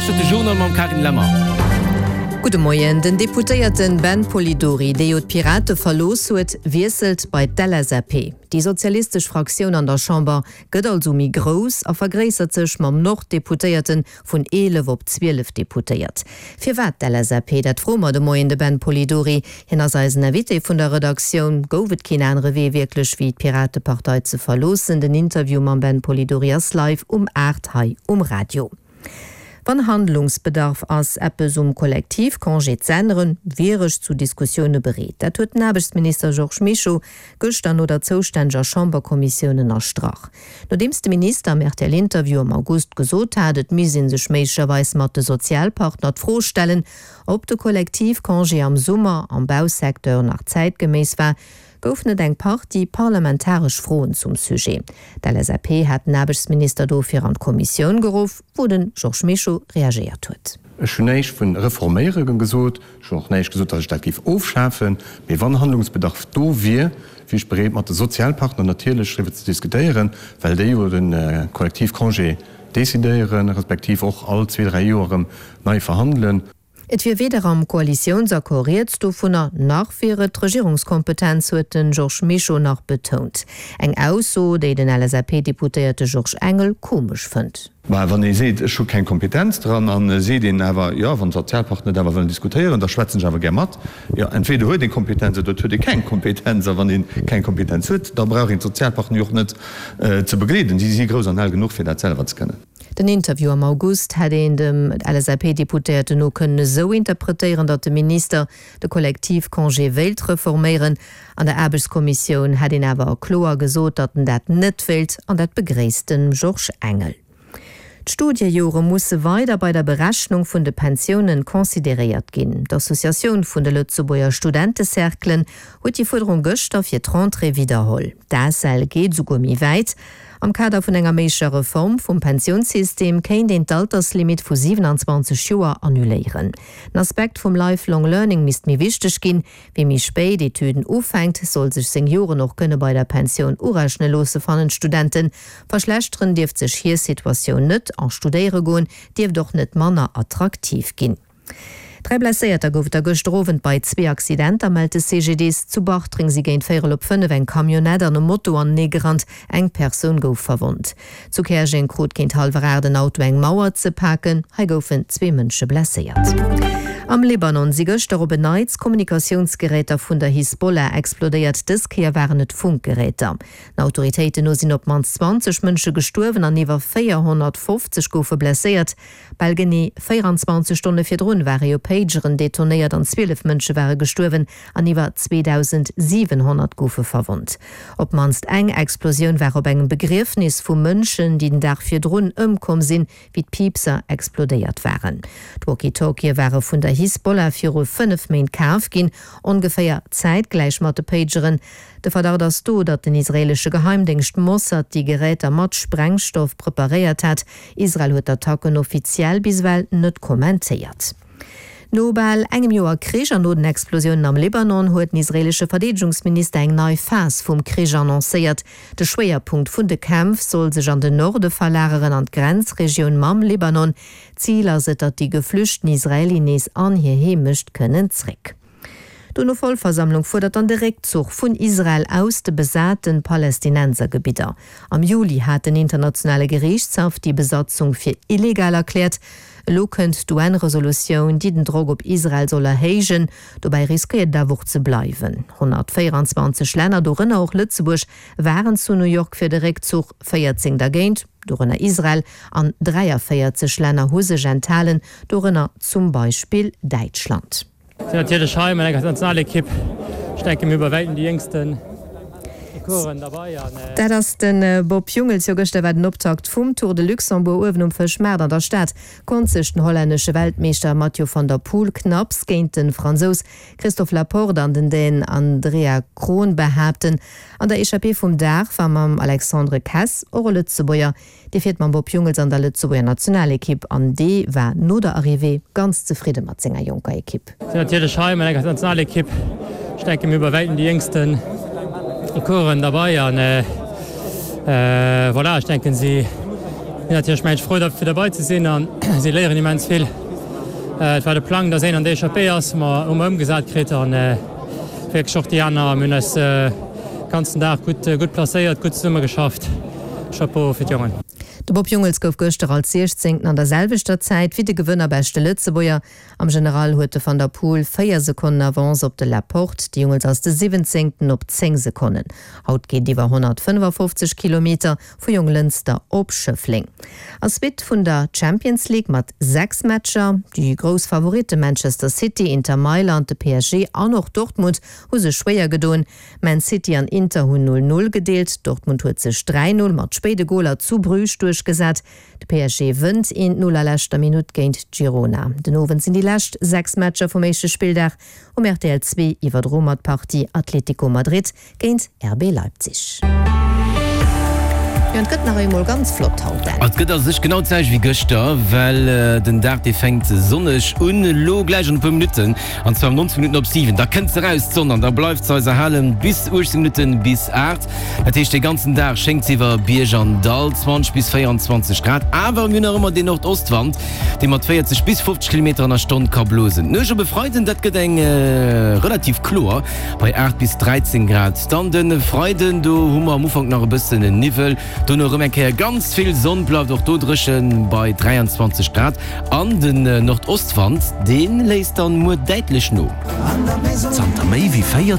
Lauschtert de Journal mam Carine Lemmer. Gudde Moien. Den Deputéierte Ben Polidori, dee jo d'Pirate verlooss huet, wiesselt bei d'LSAP. Déi sozialistesch Fraktioun an der Chamber gëtt also méi grouss a vergréissert sech mam Nord-Deputéierte Vun 11 op 12 Deputéiert. Firwat d'LSAP? Dat froe mer de Moien de Ben Polidori. Hien ass eisen Invité vun der Redaktioun. Gouf et keen anere Wee wierklech wéi d'Piratepartei ze verloossen? Den Interview mam Ben Polidori ass live um 8 hei um Radio. Wann Handlungsbedarf ass, eppes um Kollektivcongé z'änneren, wier ech zu Diskussioune bereet. Dat huet den Aarbechtsminister Georges Mischo gëschter no der zoustänneger Chamberkommissioun ënnerstrach. Nodeems de Minister am RTL-Interview am August gesot hat, et misst ee sech méiglecherweis mat de Sozialpartner d'Fro stellen, ob de Kollektivcongé am Summer am Bausecteur nach zäitgeméiss war, goufen et eng Partie parlamentaresch Froen zum Sujet. D'LSAP hat den Aarbechtsminister dofir an d'Kommissioun geruff, wou de Georges Mischo reagéiert huet. Ech hunn näischt vun reforméiere gesot. Ech hunn och näischt gesot, datt ech dat géif ofschafen. Mee wann Handlungsbedarf do wier, wier ech bereet, mat de Sozialpartner natierlech driwwer ze diskutéieren, well déi jo de Kollektivcongé decidéieren, respektiv och all zwee, dräi Joer erëm nei verhandelen. Et wier weder am Koalitiounsaccord rieds dovunner, nach wier et d'Regierungskompetenz, huet de Georges Mischo nach betount. Eng Ausso, déi den LSAP-Deputéierte Georges Engel komesch fënnt. Mä wann ee seet, ech hu keng Kompetenz dran, a seet een awer, jo, wann d'Sozialpartner et awer wëllen diskutéieren, da schwätzen ech awer gär mat. Jo, entweder huet ee Kompetenz oder et huet ee keng Kompetenz. A wann ee keng Kompetenz huet, da brauch een d'Sozialpartner jo och net ze begleeden. Si si grouss an al genuch, fir dat selwer ze kënnen. Den Interview am August hätt een dem LSAP-Deputéierten no kënnen esou interpretéieren, datt de Minister de Kollektivcongé wéilt reforméieren. An der Aarbechtskommissioun hätt een awer kloer gesot, datt en dat net wéilt an dat begréisst de Georges Engel. D'Studiejore musse weider bei der Berechnung vun de Pensiounen consideréiert ginn. D'Associatioun vun de Lëtzebuerger Studentecerclen huet déi Fuerderung gëschter fir d'Rentrée widderholl. D'ACEL geet esouguer méi wäit. Am Kader vun enger méiglecher Reform vum Pensiounssystem kéint een d'Alterslimit vu 27 Joer annuléieren. Den Aspekt vum Lifelong Learning misst méi wichteg ginn. Wie méi spéit Etüden ufänkt, soll sech seng Joren och kënne bei der Pensioun urechne loosse, fannen d'Studenten. Verschlechteren dierft sech hir Situatioun net a studéiere goen dierft och net manner attraktiv ginn. 3 Blesséierter gouf et der gëschter Owend bei zwee Accidenter, mellt de CGDIS. Zu Bartreng si géint véierel op 5 eng Camionnette an e Moto anenee gerannt, eng Persoun gouf verwonnt. Zu Käerjeng krut géint hallwer 8 en Auto eng Mauer ze paken. Hei goufen zwee Mënsche blesséiert. Am Libanon si gëschter op en Neits Kommunikatiounsgeräter vun der Hisbollah explodéiert. Dës Kéier waren et Funkgeräter. Den Autoritéiten no sinn op d'mannst 20 Mënsche gestuerwen an iwwer 450 goufe blesséiert. Bal genee 24 Stonne virdrun ware jo Pageren detonéiert an 12 Mënsche ware gestuerwen an iwwer 2.700 goufe verwonnt. Op d'mannst eng Explosioun war op engem Begriefnis vu Mënschen, déi den Dag virdrun ëmkomm sinn, wéi d'Piipser explodéiert waren. D'Walkie-Talkië ware vun der Hisbollah viru 5 Méint kaf ginn, ongeféier zäitgläich mat de Pageren. De Verdacht ass do, datt den israeelesche Geheimdéngscht Mossad déi Geräter mat Sprengstoff preparéiert hat. Israel huet d'Attacken offiziell bis ewell net kommentéiert. No bal engem Joer Krich an no den Explosiounen am Libanon huet den israeelesche Verdeedegungsminister eng nei Phas vum Krich annoncéiert. De Schwéierpunkt vun de Kämpf soll sech an den Norde verlageren, an d'Grenzregioun mam Libanon. Zil ass et, datt déi geflüchten Israeli nees an hir Heemecht kënnen zréck. D'UNO-Vollversammlung fuerdert dann de Réckzuch vun Israel aus de besate Palästinensergebidder. Am Juli hat den Internationale Geriichtshaff déi Besatzung fir illegal erkläert. Elo kënnt d'UN-Resolutioun, déi den Drock op Israel soll erhéijen. Dobäi riskéiert et awer och ze bleiwen. 124 Länner, dorënner och Lëtzebuerg, waren zu New York fir de Réckzuch, 14 dergéint, dorënner Israel, an 43 Länner hu sech enthalen, dorënner zum Beispill Däitschland. Sinn natierlech hei mat enger Nationalekipp. Ech denken, mir hu bei wäitem déi jéngsten Coureuren derbei an. Dat ass de Bob Jungels. Jo, gëschter war den Optakt vum Tour de Luxembourg. Uewen um Fëschmaart an der Stad konnt sech den hollännesche Weltmeeschter Mathieu van der Poel knapps géint de Fransous Christophe Laporte an den Dän Andrea Krohn behaapten. An der Echappée vum Dag war mam Alexandre Kess och e Lëtzebuerger. Dee fiert mam Bob Jungels an der Lëtzebuerger Nationalekipp an dee war no der Arrivée ganz zefridde mat senger jonker Ekipp. Sinn natierlech hei mat enger Nationalekipp. Ech denken, mir hu bei wäitem déi jéngsten Coureuren derbei an voilà, ech denken, si. Sinn natierlech mensch frou fir derbei ze sinn an si léieren immens vill. Et war de Plang, dass een an der Echappée ass, hu mer hu mer ëmgesat kritt an wierklech och déi aner mir hunn eis ganzen Dag gutt gutt placéiert, gutt zesumme geschafft. Chapeau fir d'Jongen. De Bob Jungels gouf gëschter als Siechzéngten an der selwechter Zäit wéi de Gewënner beschte Lëtzebuerger. Am General huet de Van der Poel 4 Sekonnen Avance op de Laporte, de Jungels ass de Siwwenzéngten op 10 Sekonnen. Haut geet iwwer 155 Kilometer vu Jonglënster op Schëffleng. A Suite vun der Champions League mat 6 Matcher. Déi grouss Favoritte Manchester City, Inter Mailand, de PSG an och Dortmund hu sech schwéier gedoen. Man City an Inter hunn 0, 0 gedeelt. Dortmund huet sech 3, 0 mat spéide Goler zu Bruges duerchgesat. De PSG wënnt 1, 0 a leschter Minutt géint Girona. Den Owend sinn déi lescht 6 Matcher vum éischte Spilldag um rtl 2 iwwerdro mat Partie Atlético Madrid géint RB Leipzig. Jo, et gëtt nach eemol ganz flott haut, Dan. Et gëtt a sech genau d'selwecht wéi gëschter, well den Dag dee fänkt sonneg un, elo gläich an e puer Minutten, an zwar um 19 Minutten op 7. Da kënnt se eraus, d'Sonn, an da bleift se eis erhalen bis 18 Minutten bis 8. Dat heescht, dee ganzen Dag schéngt se iwwer Bierg an Dall, 20 bis 24 Grad. Awer mir hunn nach ëmmer deen Nordostwand, dee mat 40 bis 50 Kilometer an der Stonn ka blosen. D'Nuecht op e Freiden, dat gëtt eng relativ kloer. Bei 8 bis 13 Grad. Dann de Freiden, do hu mer am Ufank nach e bëssen Niwwel, dono erëm eng Kéier ganz vill Sonn, bleift och do dréchen bei 23 Grad. An den Nordostwand, dee léisst dann muer däitlech no. Zanter méi wéi 40.